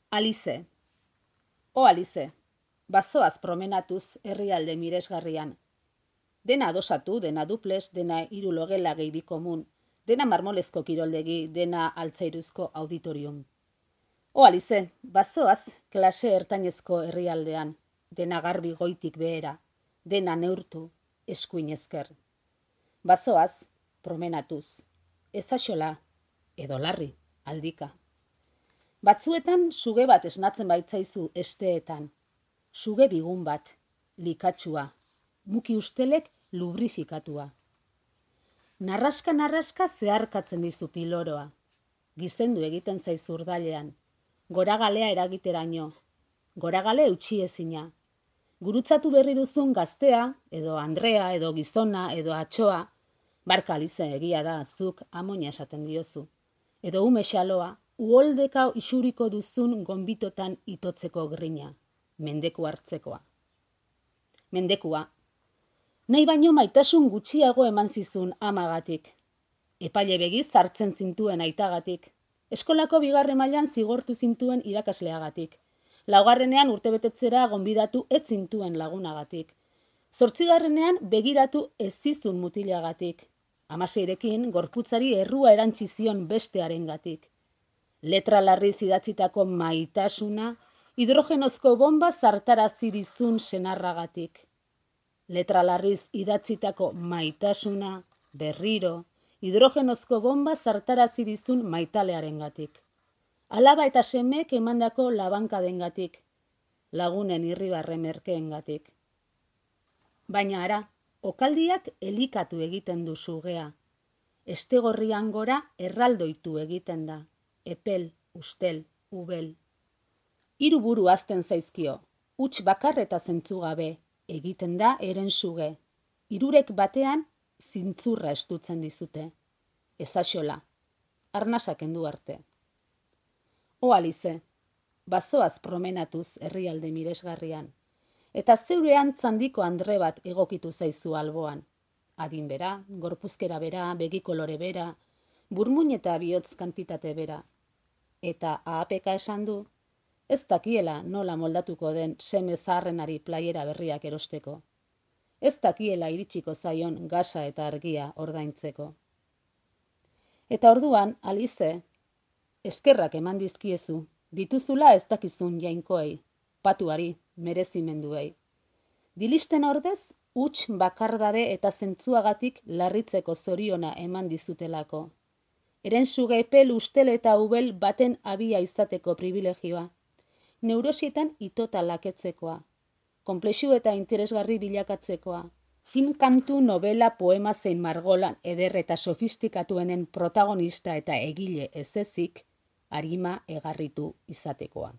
Alize. O Alize, bazoaz promenatuz herrialde miresgarrian. Dena adosatu, dena duples, dena hiru logela gehi bi komun, dena marmolezko kiroldegi, dena altzairuzko auditorium. O Alize, bazoaz klase ertainezko herrialdean, dena garbi goitik behera, dena neurtu, eskuin esker. Bazoaz, promenatuz, ezaxola, edo larri, aldika. Batzuetan suge bat esnatzen baitzaizu esteetan, suge bigun bat, likatsua, muki ustelek lubrifikatua. Narraska zeharkatzen dizu piloroa, gizendu egiten zaizu urdailean, goragalea eragiteraino, goragale eutxiezina, gurutzatu berri duzun gaztea, edo Andrea, edo gizona, edo atxoa, barka Alize egia da, zuk amoina esaten diozu, edo ume xaloa, uholdeka isuriko duzun gonbitotan itotzeko grina, mendeku hartzekoa. Mendekua, nahi baino maitasun gutxiago eman zizun amagatik. Epaile begiz hartzen zintuen aitagatik. Eskolako 2. mailan zigortu zintuen irakasleagatik. 4. urtebetetzera gonbidatu ez zintuen lagunagatik. 8. begiratu ez zizun mutilagatik. 16 gorputzari errua erantzi zion bestearengatik. Letra larriz idatzitako maitasuna, hidrogenozko bomba zartarazi dizun senarragatik. Letra larriz idatzitako maitasuna, berriro, hidrogenozko bomba zartarazi dizun maitalearengatik. Alaba eta semek emandako labankadengatik, lagunen irribarre merkeengatik. Baina ara, okaldiak elikatu egiten du sugea. Estegorrian gora erraldoitu egiten da. Epel, ustel, ubel. 3 buru azten zaizkio, huts bakar eta zentzugabe, egiten da eren suge. 3 batean zintzurra estutzen dizute. Ezaxola, arnasak kendu arte. O Alize, bazoaz promenatuz herrialde miresgarrian, eta zeure antzandiko andre bat egokitu zaizu alboan. Adin bera, gorpuzkera bera, begikolore bera, burmuin eta bihotz kantitate bera. Eta ahapeka esan du, ez dakiela nola moldatuko den seme zaharrenari playera berriak erosteko. Ez dakiela iritsiko zaion gasa eta argia ordaintzeko. Eta orduan, Alize, eskerrak eman dizkiezu, dituzula ez dakizun jainkoei, patuari, merezimenduei. Dilisten ordez, huts bakardade eta zentzuagatik larritzeko zoriona eman dizutelako. Eren suge epel, ustel eta ubel baten abia izateko privilegioa. Neurosietan itota laketzekoa. Konplexu eta interesgarri bilakatzekoa. Film, kantu, novela, poema zein margolan eder eta sofistikatuenen protagonista eta egile ez ezik, arima egarritu izatekoa.